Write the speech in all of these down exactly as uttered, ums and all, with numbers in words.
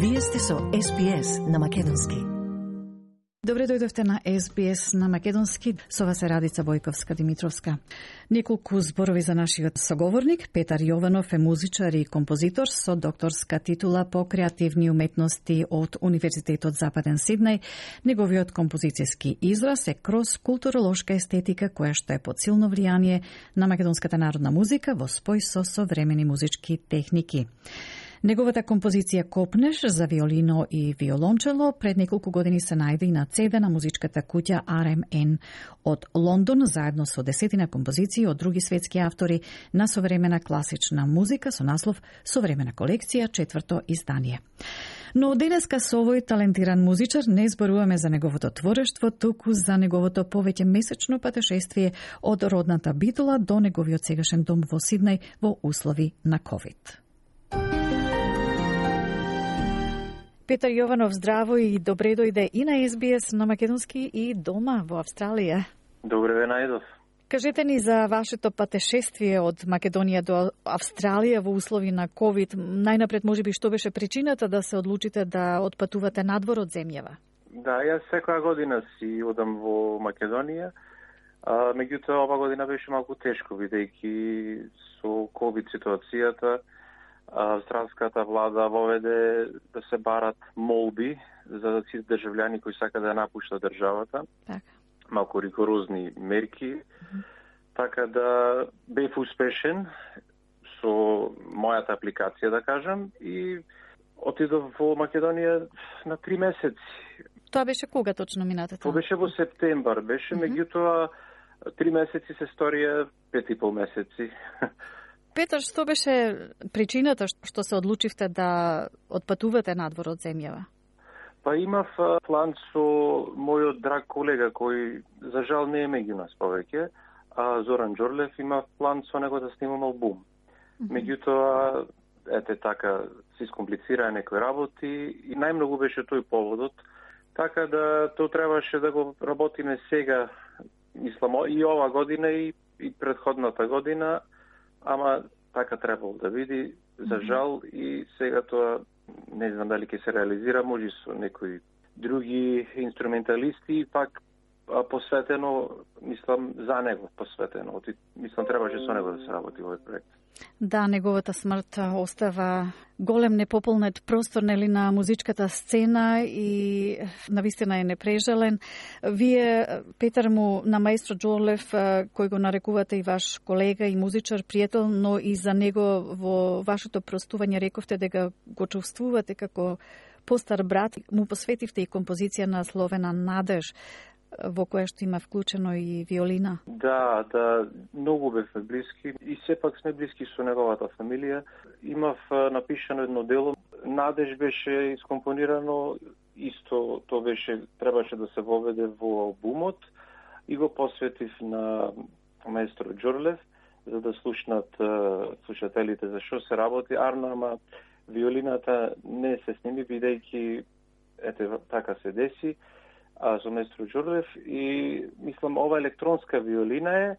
Вие сте со Ес Би Ес на Македонски. Добре дојдовте на Ес Би Ес на Македонски. Со вас е Радица Војковска-Димитровска. Неколку зборови за нашиот соговорник. Петар Јованов е музичар и композитор со докторска титула по креативни уметности од Универзитетот Западен Сиднеј. Неговиот композицијски израз е кроз културолошка естетика која што е под силно влијание на македонската народна музика во спој со современи музички техники. Неговата композиција Копнеш за виолино и виолончело пред неколку години се најде и на цеде на музичката куќа Ар Ем Ен од Лондон, заедно со десетина композиции од други светски автори на современа класична музика со наслов Современа колекција, четврто издание. Но денеска со овој талентиран музичар не зборуваме за неговото творештво, туку за неговото повеќе месечно патешествие од родната Битола до неговиот сегашен дом во Сиднеј во услови на ковид. Петар Јованов, здраво и добре дојде и на Ес Би Ес на Македонски и дома во Австралија. Добре ве најдов. Кажете ни за вашето патешествие од Македонија до Австралија во услови на ковид. Најнапред, можеби, што беше причината да се одлучите да отпатувате надвор од земјава? Да, јас секоја година си одам во Македонија, а, меѓутоа ова година беше малку тешко, бидејќи со ковид ситуацијата австралската влада воведе да се барат молби за сите државјани кои сака да напуштат државата. Така. Малку ригорозни мерки. Mm-hmm. Така да бев успешен со мојата апликација, да кажам, и отидов во Македонија на три месеци. Тоа беше кога точно минатата? Тоа беше во септембар, беше, mm-hmm. меѓутоа три месеци се сторија пет и пол месеци. Петар, што беше причината што се одлучивте да отпатувате надвор од земјава? Па имав план со мојот драг колега кој за жал не е меѓу нас повеќе, а Зоран Џорлев, имав план со него да снимам албум. Mm-hmm. Меѓутоа, ете така, се искомплицираа некои работи и најмногу беше тој поводот, така да тоа требаше да го работиме сега, мислам, и ова година и, и предходната година, ама така требало да биде, за жал, и сега тоа не знам дали ќе се реализира, може со некои други инструменталисти, пак посветено, мислам, за него посветено. Мислам, требаше со него да се работи овој проект. Да, неговата смрт остава голем непополнет простор, нели, на музичката сцена и навистина е непрежален. Вие, Петар, му на маестро Џорлев, кој го нарекувате и ваш колега и музичар, пријател, но и за него во вашето простување рековте дека го чувствувате како постар брат, му посветивте и композиција на Словена Надеж, во која што има вклучено и виолина. Да, да, многу бевме блиски и сепак сме блиски со неговата фамилија. Имав напишано едно дело, Надеж беше искомпонирано, исто тоа беше, требаше да се воведе во албумот и го посветив на маестро Џорлев, за да слушнат слушателите за што се работи. Арно, ама виолината не се сними, бидејќи ете така се деси, а со маестро Џорлев, и мислам ова електронска виолина е,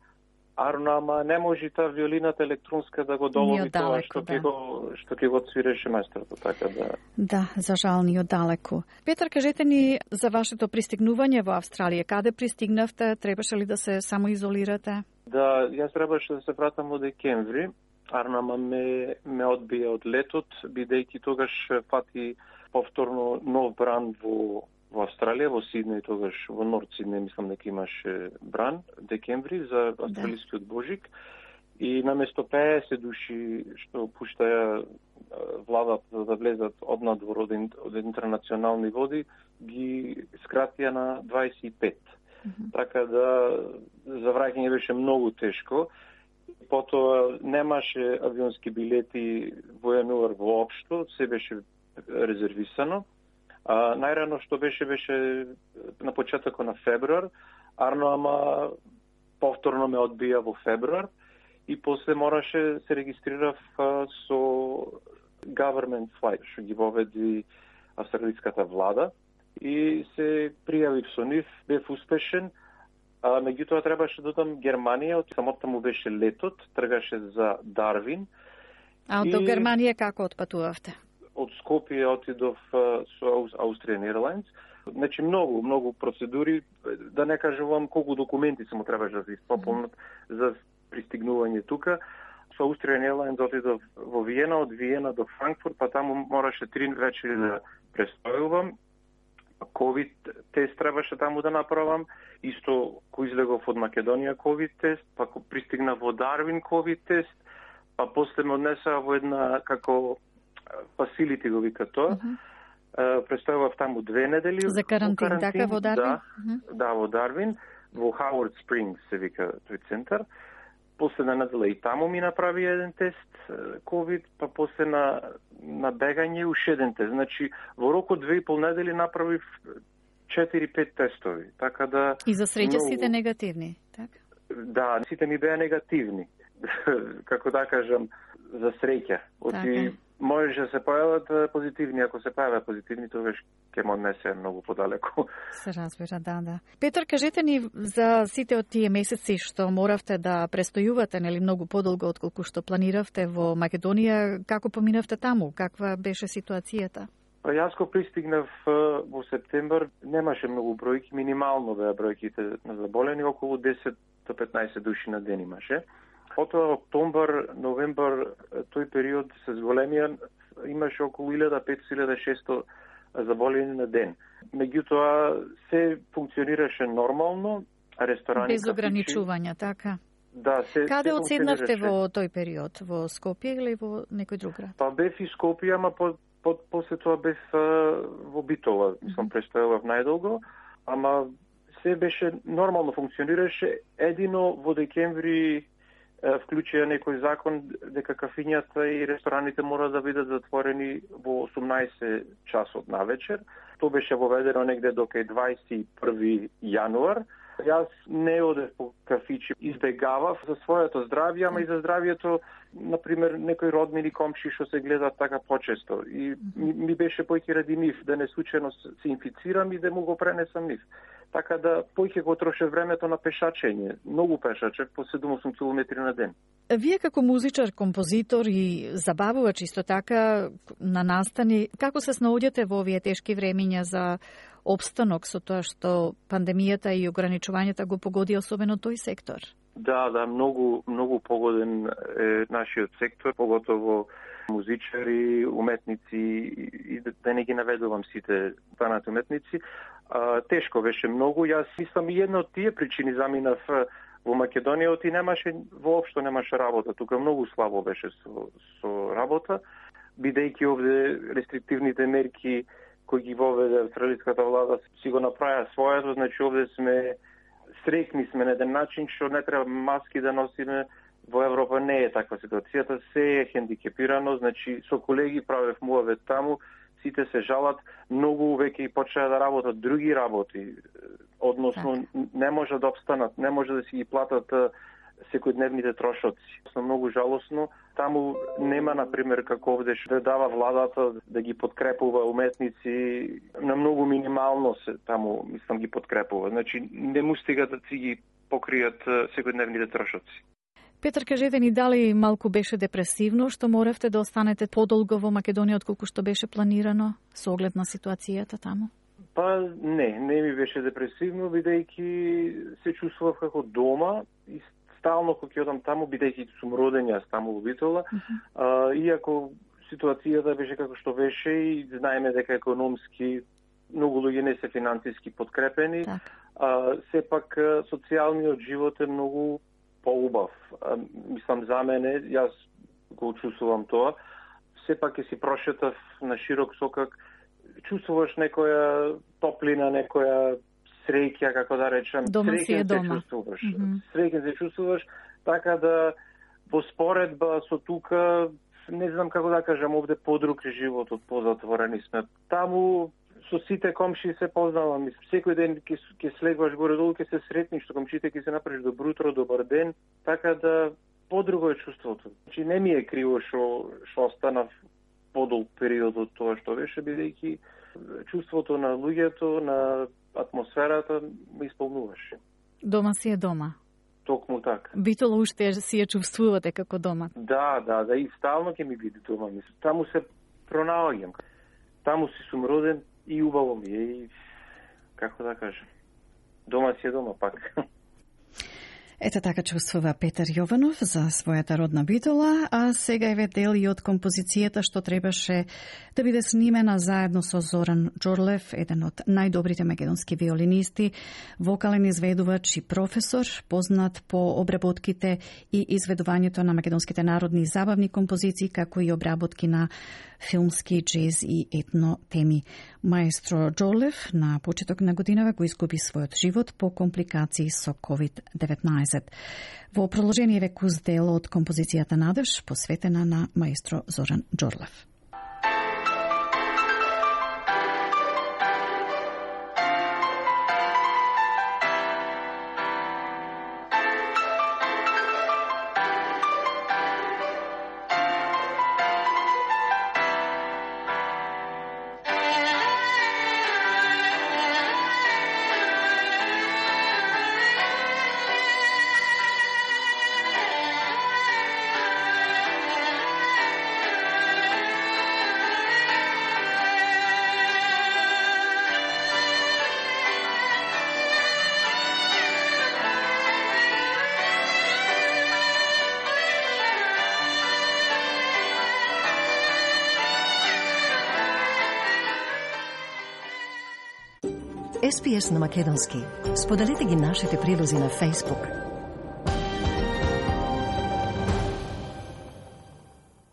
арно, ама не може таа виолината електронска да го долови тоа што ќе да. го што ќе го свиреше маестрото, така да. Да, за жал ни оддалеку. Петар, кажете ни за вашето пристигнување во Австралија. Каде пристигнавте? Требаше ли да се самоизолирате? Да, јас требаше да се вратам во декември. Арно, ама ме ме одбија од летот, бидејќи тогаш фати повторно нов бран во во Австралија, во Сиднеј, тогаш во Норд Сиднеј, мислам дека имаше бран, декември, за австралискиот Божик. И наместо пеесет души што пуштаја владата да влезат од надвор од, од интернационални води, ги скратија на дваесет и пет. Mm-hmm. Така да за враќање беше многу тешко. Потоа немаше авионски билети во јануар воопшто, се беше резервисано. А, најрано што беше, беше на почетокот на февруар, арно, ама повторно ме одбија во февруар и после мораше се регистрирав а, со government flight, што ги воведи австралиската влада, и се пријавив со нив, бев успешен, а, меѓутоа требаше да додам Германија, од самото му беше летот, тргаше за Дарвин. А од и... Германија како отпатувавте? од Скопје отидов со Austrian Airlines. Значи многу, многу процедури, да не кажувам колку документи се му требаше да се испополнат за пристигнување тука. Со Austrian Airlines отидов во Виена, од Виена до Франкфурт, па таму мораше три вечери да престојувам. ковид тест требаше таму да направам. Исто кој излегов од Македонија ковид тест, па пристигна во Дарвин ковид тест, па после ме однесаа во една како facility го вика тоа. Uh-huh. Престојував таму две недели. За карантин, карантин така во Дарвин? Да, uh-huh. да, во Дарвин, во Howard Springs се вика тој центар. После на недела и таму ми направи еден тест ковид, па после на, на бегање уште еден тест. Значи, во рок од две и пол недели направив четири-пет тестови. Така да... И за среќа многу... сите негативни, така? Да, сите ми беа негативни. Како да кажам, за среќа. Оти можеше да се појават позитивни, ако се појават позитивни, тогаш ќе ме однесе многу подалеку. Се разбира, да, да. Петар, кажете ни за сите од тие месеци што моравте да престојувате, нели многу подолго отколку што планиравте во Македонија, како поминавте таму? Каква беше ситуацијата? Па јас кога пристигнав во септембар, немаше многу бројки, минимално беа бројките на заболени, околу десет до петнаесет души на ден имаше. Потоа октомбар, новембар, тој период се зголемија, имаше околу илјада петстотини до илјада и шестоста заболени на ден. Меѓутоа се функционираше нормално, ресторани, без ограничувања, така? Да, се. Каде се одседнавте во тој период? Во Скопје или во некој друг град? Па бев и Скопје, ама по, по, после тоа бев во Битола, сум престојував најдолго, ама се беше нормално функционираше. Едино во декември вклучија некој закон дека кафињата и рестораните мора да бидат затворени во осумнаесет часот навечер. Тоа беше воведено негде до кај дваесет и први јануар. Јас не одев по кафичи, избегавав за своето здравје, ама и за здравјето, например, некои роднини комши што се гледаат така почесто. И ми, ми беше појќе ради нив, да не случајно се инфицирам и да му го пренесам нив. Така да појќе го троше времето на пешачење. Многу пешачев, по седум-осум километри на ден. Вие како музичар, композитор и забавувач исто така на настани, како се снаоѓате во овие тешки времиња за опстанок со тоа што пандемијата и ограничувањата го погоди особено тој сектор? Да, да, многу многу погоден е нашиот сектор, поготово музичари, уметници и да не ги наведувам сите останати уметници. А, тешко беше многу. Јас мислам и една од тие причини заминав во Македонија, оти немаше, воопшто немаше работа. Тука многу слабо беше со, со работа, бидејќи овде рестриктивните мерки кои ги воведе австралиската влада си го направија своето, значи овде сме среќни сме на еден начин што не треба маски да носиме. Во Европа не е таква ситуацијата, се е хендикепирано, значи со колеги правев муавет таму, сите се жалат, многу веќе и почнаа да работат други работи, односно не може да обстанат, не може да си ги платат секојдневните трошоци. Со многу жалосно, таму нема, например, како овде што дава владата да ги подкрепува уметници, на многу минимално се таму, мислам, ги подкрепува. Значи не му стига да си ги покријат секојдневните трошоци. Петар, кажете ни дали малку беше депресивно што моравте да останете подолго во Македонија отколку што беше планирано со оглед на ситуацијата таму? Па не, не ми беше депресивно, бидејќи се чувствував како дома и стално кога ќе одам таму, бидејќи сум роден јас таму во Битола, uh-huh. а, иако ситуацијата беше како што беше и знаеме дека економски многу луѓе не се финансиски подкрепени, так. а, сепак социјалниот живот е многу поубав. А, мислам за мене, јас го чувствувам тоа. Сепак ќе си прошетав на широк сокак, чувствуваш некоја топлина, некоја среќа, како да речем. Дома си е дома. Се чувствуваш. Mm-hmm. Среќен се чувствуваш, така да во споредба со тука, не знам како да кажам, овде подруг е животот, позатворени сме. Таму со сите комши се познавам. Секој ден ќе ќе слегваш горе-долу, ќе се сретниш со комшите, ќе се направиш добро утро, добар ден, така да подруго е чувството. Значи не ми е криво што што останав подолг период од тоа што беше, бидејќи чувството на луѓето, на атмосферата ме исполнуваше. Дома си е дома. Токму така. Битола уште си ја чувствувате како дома. Да, да, да, и стално ќе ми биде дома. Таму се пронаоѓам. Таму си сум роден и убаво ми е и, како да кажем, дома си е дома пак. Ето така чувствува Петар Јованов за својата родна Битола, а сега еве дел и од композицијата што требаше да биде снимена заедно со Зоран Џорлев, еден од најдобрите македонски виолинисти, вокален изведувач и професор, познат по обработките и изведувањето на македонските народни забавни композиции, како и обработки на филмски, джез и етно теми. Маестро Џорлев на почеток на годинава го изгуби својот живот по компликации со ковид деветнаесет. Во продолжение векус дел од композицијата Надеж, посветена на маестро Зоран Џорлев. Ес Би Ес на македонски. Споделете ги нашите прилози на Facebook.